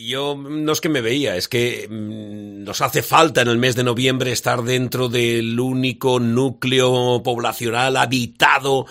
Yo no es que me veía, es que nos hace falta en el mes de noviembre estar dentro del único núcleo poblacional habitado,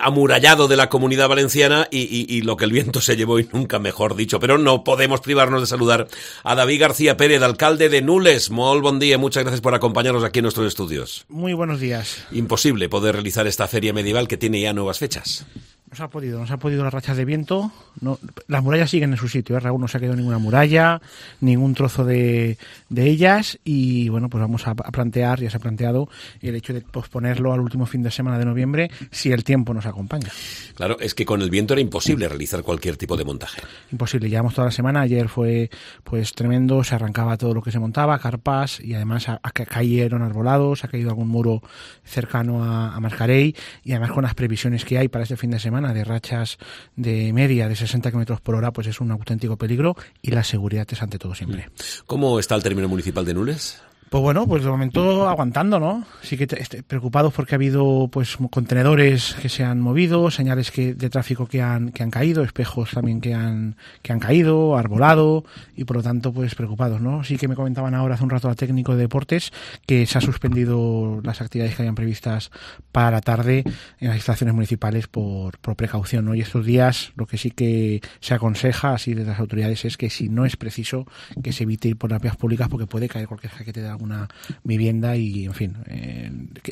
amurallado de la Comunidad Valenciana y lo que el viento se llevó y nunca mejor dicho. Pero no podemos privarnos de saludar a David García Pérez, alcalde de Nules. Molt bon día, muchas gracias por acompañarnos aquí en nuestros estudios. Muy buenos días. Imposible poder realizar esta feria medieval que tiene ya nuevas fechas. Nos ha podido las rachas de viento. No, las murallas siguen en su sitio, Raúl, no se ha quedado ninguna muralla, ningún trozo de ellas, y bueno, pues vamos a plantear, ya se ha planteado el hecho de posponerlo al último fin de semana de noviembre si el tiempo nos acompaña. Claro, es que con el viento era imposible realizar cualquier tipo de montaje. Imposible, llevamos toda la semana, ayer fue pues tremendo, se arrancaba todo lo que se montaba, carpas, y además cayeron arbolados, ha caído algún muro cercano a Mascarell, y además con las previsiones que hay para este fin de semana de rachas de media de 60 km por hora, pues es un auténtico peligro, y la seguridad es ante todo siempre. ¿Cómo está el término municipal de Nules? Pues bueno, pues de momento aguantando, ¿no? Sí que preocupados porque ha habido pues contenedores que se han movido, señales de tráfico que han caído, espejos también que han caído, arbolado, y por lo tanto pues preocupados, ¿no? Sí que me comentaban ahora hace un rato al técnico de deportes que se ha suspendido las actividades que habían previstas para la tarde en las instalaciones municipales por precaución, ¿no? Y estos días lo que sí que se aconseja así desde las autoridades es que si no es preciso que se evite ir por las vías públicas porque puede caer cualquier jaquete de alguna vivienda y, en fin,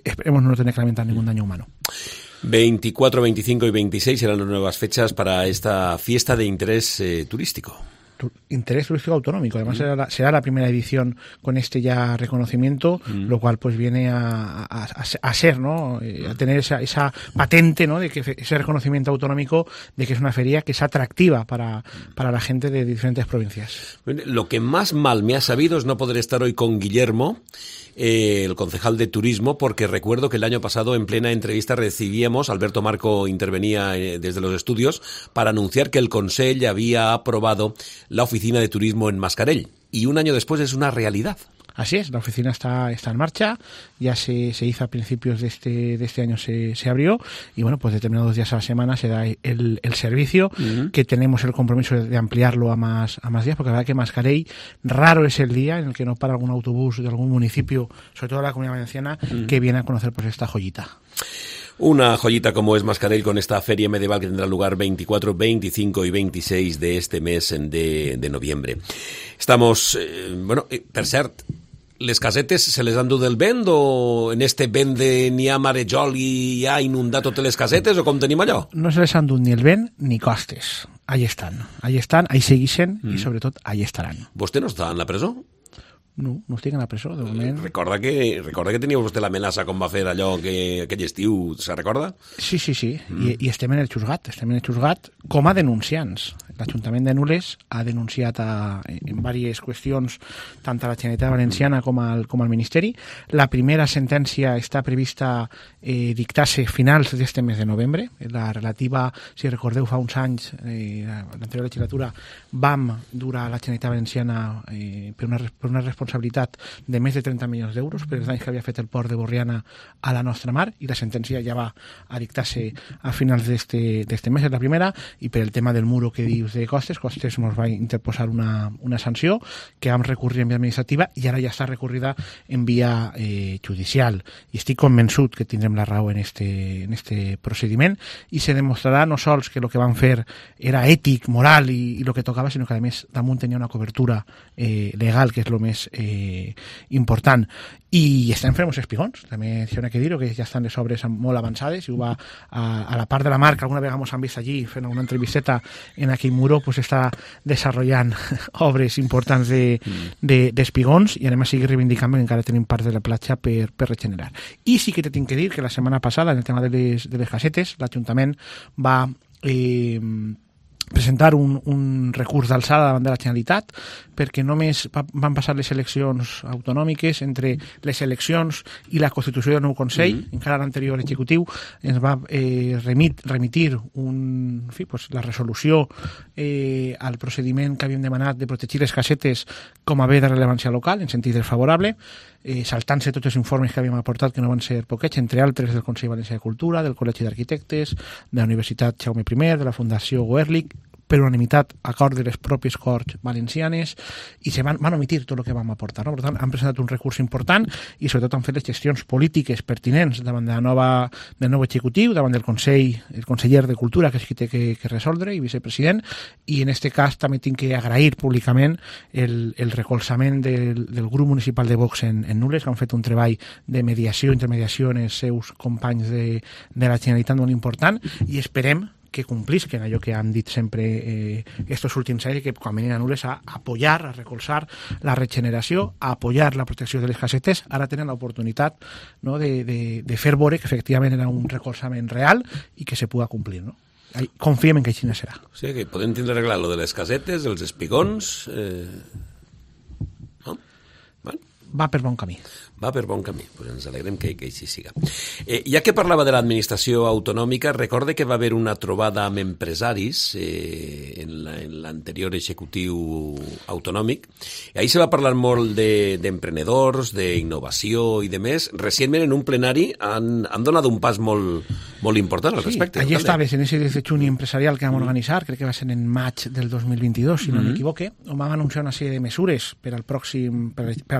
esperemos no tener que lamentar ningún daño humano. 24, 25 y 26 serán las nuevas fechas para esta fiesta de interés turístico. Interés turístico autonómico, además será la primera edición con este ya reconocimiento, lo cual pues viene a ser, ¿no? A tener esa patente, ¿no? De que ese reconocimiento autonómico de que es una feria que es atractiva para la gente de diferentes provincias. Lo que más mal me ha sabido es no poder estar hoy con Guillermo, el concejal de turismo, porque recuerdo que el año pasado en plena entrevista recibíamos, Alberto Marco intervenía desde los estudios para anunciar que el Consell había aprobado la oficina de turismo en Mascarell, y un año después es una realidad. Así es, la oficina está en marcha, ya se hizo a principios de este año, se abrió, y bueno, pues determinados días a la semana se da el servicio, que tenemos el compromiso de ampliarlo a más días, porque la verdad que Mascarell raro es el día en el que no para algún autobús de algún municipio, sobre todo de la Comunidad Valenciana, que viene a conocer pues esta joyita. Una joyita como es Mascarell, con esta feria medieval que tendrá lugar 24, 25 y 26 de este mes de noviembre. Estamos, per cert, les casetes se les han dut del vent, o en este vent de n'hi ha marejol i ha inundat totes les casetes, o com tenim allò? No se les han dut ni el vent ni costes. Ahí están, ahí seguixen i sobretot ahí estaran. Vostè no està en la presó? No estic en la presó, de moment. Recorda que tenia vostè l'amenaça com va fer allò que aquell estiu, se recorda? Sí. I estem en el xusgat com a denunciants. L'Ajuntament de Nules ha denunciat en diverses qüestions tant a la Generalitat Valenciana com al Ministeri. La primera sentència està prevista dictar-se finals d'este mes de novembre. La relativa, si recordeu, fa uns anys, l'anterior legislatura, vam dur a la Generalitat Valenciana per una responsabilitat de més de 30 milions d'euros per els danys que havia fet el port de Borriana a la nostra mar, i la sentència ja va a dictar-se a finals d'este mes, és la primera. I per el tema del muro que dius de Costes ens va interposar una sanció que vam recurrir en via administrativa i ara ja està recorrida en via judicial, i estic convençut que tindrem la raó en este procediment, i se demostrarà no sols que el que van fer era ètic, moral i el que tocava, sinó que a més damunt tenia una cobertura legal, que és el més important. I estem fent uns espigons, també s'ha de dir que ja estan les obres molt avançades, i a la part de la mar, que alguna vegada ens han vist allí fent una entrevisteta en aquell muro, pues està desenvolupant obres importants d'espigons, i anem a seguir reivindicant que encara tenim part de la platja per regenerar. I sí que te tinc que dir que la setmana passada, en el tema de les casetes, l'Ajuntament va presentar un recurs d'alçada davant de la Generalitat, perquè només van passar les eleccions autonòmiques. Entre les eleccions i la constitució del nou Consell, encara l'anterior executiu ens va remitir la resolució al procediment que havíem demanat de protegir les casetes com a bé de rellevància local, en sentit desfavorable, saltant-se tots els informes que havíem aportat, que no van ser poquets, entre altres del Consell Valencià de Cultura, del Col·legi d'Arquitectes, de la Universitat Jaume I, de la Fundació Goerlich, per unanimitat acord de les pròpies Corts Valencianes i se van omitir tot el que vam aportar, no? Per tant, han presentat un recurs important i sobretot han fet les gestions polítiques pertinents davant del nou executiu, davant del el conseller de Cultura, que és qui té que resoldre, i vicepresident, i en aquest cas també tinc que agrair públicament el recolzament del grup municipal de Vox en Nules, que han fet un treball de mediació, intermediació en els seus companys de la Generalitat molt important, i esperem que complisquen allò que han dit sempre estos últims anys, que quan venien a Nules a apoyar, a recolzar la regeneració, a apoyar la protecció de les casetes, ara tenen l'oportunitat, no, de fer veure que efectivament era un recolzament real i que se puga complir, no? Confiem en que així serà. O sigui que podem tindre arreglat lo de les casetes, els espigons... No? Bueno. Va per bon camí. Va per bon camí, pues ens alegrem que així siga. Ja que parlava de l'administració autonòmica, recorde que va haver una trobada amb empresaris en l'anterior executiu autonòmic, i ahir se va parlar molt d'emprenedors, d'innovació i de més. Recentment en un plenari han donat un pas molt important al respecte. Allí estaves en ese desdejuni empresarial que vam organitzar, crec que va ser en maig del 2022, si no m'equivoque, on vam anunciar una sèrie de mesures per al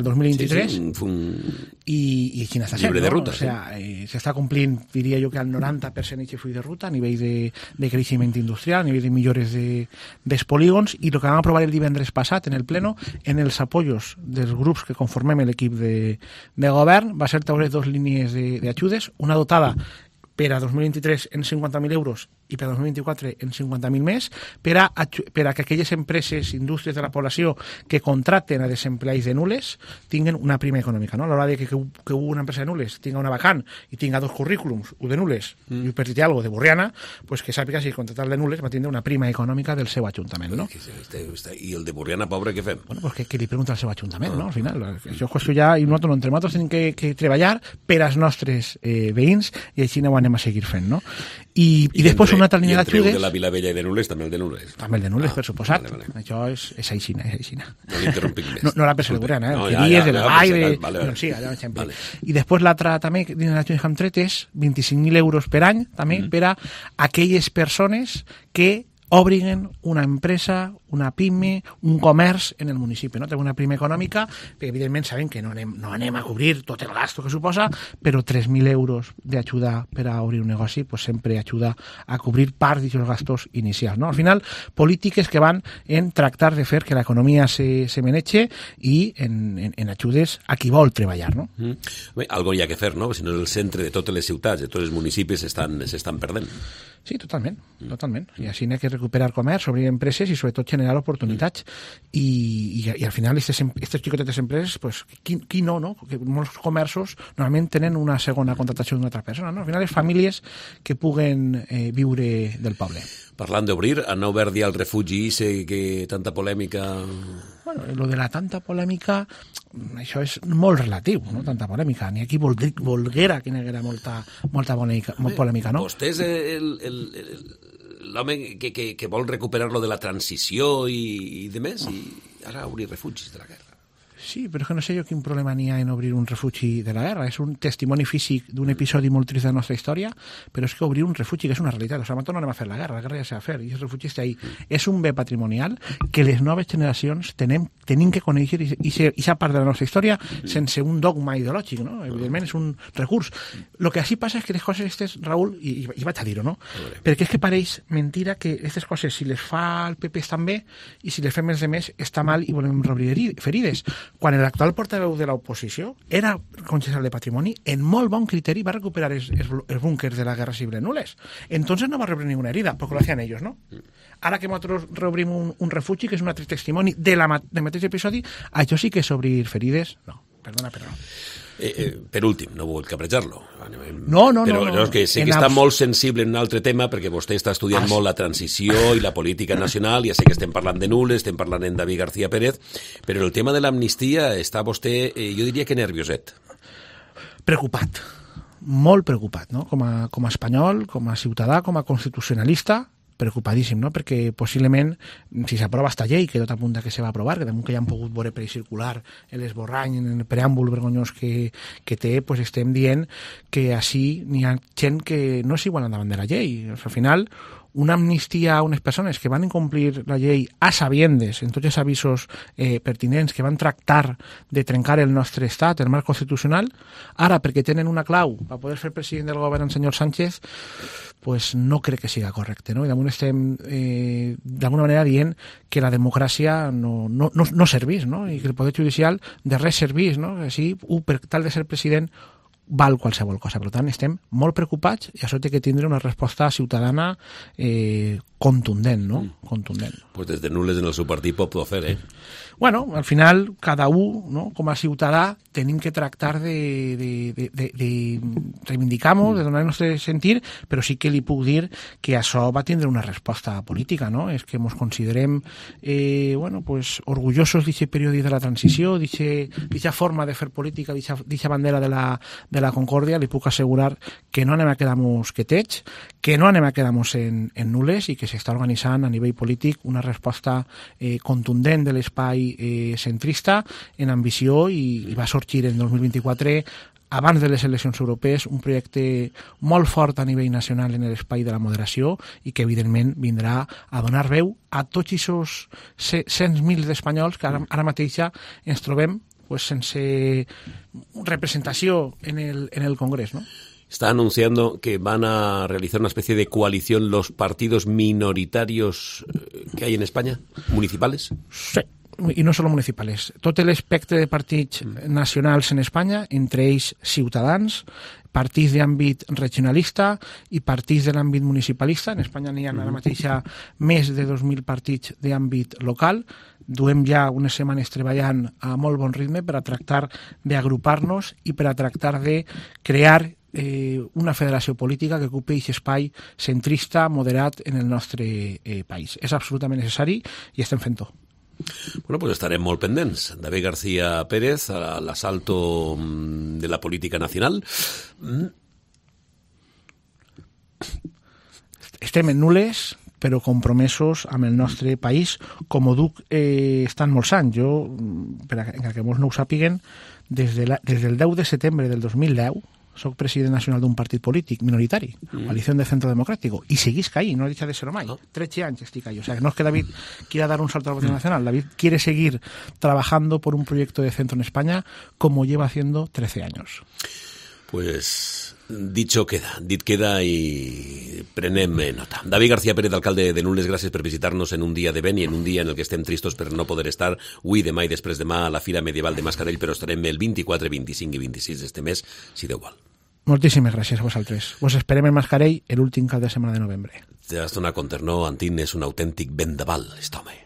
2023. Sí, i així n'està sent, llibre de ruta, o sea, s'està complint, diria jo, que al 90% aquest full de ruta a nivell de creixement industrial, a nivell de millores dels polígons, i el que vam aprovar el divendres passat en el pleno, en els apoyos dels grups que conformem l'equip de govern, va ser taure 2 línies d'ajudes, una dotada per a 2023 en 50.000 euros i per a 2024 en 50.000 més, per a que aquelles empreses, indústries de la població que contracten a desempleats de Nules tinguen una prima econòmica, no? A l'hora de que una empresa de Nules tinga una vacant i tinga 2 currículums, un de Nules i per dir alguna cosa de Borriana, pues que sàpiga si contractar de Nules va tindre una prima econòmica del seu ajuntament, no? I el de Borriana, pobre, què fem? Bueno, pues que li pregunta al seu ajuntament, no? Al final, això és qüestió ja, i nosaltres entre nosaltres tenim que treballar per als nostres veïns, i així ho anem a seguir fent, no? I després una altra línia d'ajudes... I entre el de la Vilavella i de Nules, també el de Nules. També el de Nules, per suposat. Vale. Això és aixina. No l'interrompic més. No la per ser Borriana, de la vall, sí, allà, exemple. I després l'altra també, dins l'ajuda que hem tret, és 25.000 euros per any, també, per a aquelles persones que obrin una empresa, una pime, un comerç en el municipi, no? Té una prima econòmica, perquè evidentment sabem que no anem a cobrir tot el gasto que suposa, però 3.000 euros d'ajuda per a obrir un negoci pues sempre ajuda a cobrir part d'aquests gastos inicials, no? Al final, polítiques que van en tractar de fer que l'economia se manege i en ajudes a qui vol treballar, no? Bé, algo hi ha que fer, no? Si no, el centre de totes les ciutats, de tots els municipis s'estan perdent. Sí, totalment. I així n'hi ha que recuperar comerç, obrir empreses i sobretot generar oportunitats. I al final aquestes xicotetes empreses, pues, qui no? Perquè molts comerços normalment tenen una segona contractació d'una altra persona, no? Al final les famílies que puguen viure del poble. Parlant d'obrir, han obert ja el refugi, sé que tanta polèmica... Bueno, lo de la tanta polèmica, això és molt relatiu, no? Tanta polèmica. Ni aquí volguera que n'hi haguera molta polèmica, no? Vostè és l'home que vol recuperar lo de la transició i de més, i ara obrir refugis de la guerra. Sí, però és que no sé jo quin problema n'hi ha en obrir un refugi de la guerra. És un testimoni físic d'un episodi molt trist de la nostra història, però és que obrir un refugi, que és una realitat. O sigui, nosaltres no anem a fer la guerra ja s'ha de fer, i el refugi està ahí. És un bé patrimonial que les noves generacions tenim que conèixer i ser part de la nostra història sense un dogma ideològic, no? Evidentment és un recurs. El que així passa és que les coses aquestes, Raül, i vaig a dir-ho, no? Perquè és que pareix mentira que aquestes coses, si les fa el PP estan bé, i si les fem els demés està mal i volem reobrir ferides. Quan l'actual portaveu de l'oposició era concejal de Patrimoni, en molt bon criteri va recuperar els búnkers de la Guerra Civil en Nules. Entonces no va rebre ninguna herida, porque lo hacían ellos, ¿no? Ara que nosaltres reobrim un refugi, que és un altre testimoni del mateix episodi, això sí que és obrir ferides? No, perdona, però no. Per últim, no vull cabrejar-lo. No. Però és que sé que està molt sensible en un altre tema, perquè vostè està estudiant molt la transició i la política nacional, ja sé que estem parlant de Nules, estem parlant en David García Pérez, però el tema de l'amnistia està vostè, jo diria que nervioset. Preocupat, molt preocupat, no? Com a espanyol, com a ciutadà, com a constitucionalista, preocupadíssim, no? Perquè possiblement, si s'aprova esta llei, que tot apunta que se va aprovar, que damunt que ja han pogut veure per circular l'esborrany, en el preàmbul vergonyós que té, pues estem dient que així n'hi ha gent que no és igual davant de la llei. Al final, una amnistia a unes persones que van incomplir la llei a sabiendes, en tots els avisos pertinents, que van tractar de trencar el nostre estat, el marc constitucional, ara perquè tenen una clau per poder fer president del govern el senyor Sánchez, pues no crec que siga correcte, no? I damunt estem d'alguna manera dient que la democràcia no servís, no? I que el poder judicial de res servís, no? Així, per tal de ser president val qualsevol cosa. Per tant, estem molt preocupats i això té que tindre una resposta ciutadana contundent, no? Contundent. Pues des de nules en el seu partit pot fer, Bueno, al final, cada un, no? Com a ciutadà, tenim que tractar de reivindicar-nos, de donar el nostre sentir, però sí que li puc dir que això va tindre una resposta política, no? És que ens considerem orgullosos d'aquest període de la transició, d'aquesta forma de fer política, d'aquesta bandera de la concòrdia. Li puc assegurar que no anem a quedar-nos quietets, que no anem a quedar-nos en nules i que s'està organitzant a nivell polític una resposta contundent de l'espai centrista en ambició i va sorgir en 2024 abans de les eleccions europees un projecte molt fort a nivell nacional en l'espai de la moderació i que evidentment vindrà a donar veu a tots aquests 100.000 d'espanyols que ara mateix ja ens trobem sense representació en el Congrés, ¿no? Está anunciando que van a realizar una especie de coalición los partidos minoritarios que hay en España, municipales. Sí. I no solo municipals, tot l'espectre de partits nacionals en Espanya, entre ells Ciutadans, partits d'àmbit regionalista i partits de l'àmbit municipalista. En Espanya n'hi ha ara mateix més de 2.000 partits d'àmbit local. Duem ja unes setmanes treballant a molt bon ritme per a tractar d'agrupar-nos i per a tractar de crear una federació política que ocupi aquest espai centrista, moderat en el nostre país. És absolutament necessari i estem fent-ho. Bueno, pues estarem molt pendents. David García Pérez, al asalto de la política nacional. Estem en nules, però compromesos amb el nostre país, com ho duc estan molts anys. Jo, perquè molts no ho sàpiguen, des del 10 de setembre del 2010 soc president nacional d'un partit polític minoritari, Coalición de Centro Democrático, i seguisc ahí, no deixa de ser mai. 13 anys estic ahí. O sea, que no es que David quiera dar un salto a la política nacional, David quiere seguir trabajando por un proyecto de centro en España como lleva haciendo 13 años. Pues dicho queda, dit queda i prenem nota. David García Pérez, alcalde de Nules, gràcies per visitar-nos en un dia de vent i en un dia en el que estem tristos per no poder estar avui, demà i després demà a la Fira Medieval de Mascarell, però estarem el 24, 25 i 26 d'este mes, si Déu vol. Moltíssimes gràcies a vosaltres. Vos esperem en Mascarell l'últim cap de setmana de novembre. Te has donat compte, no? Antín és un autèntic vendaval, aquest home.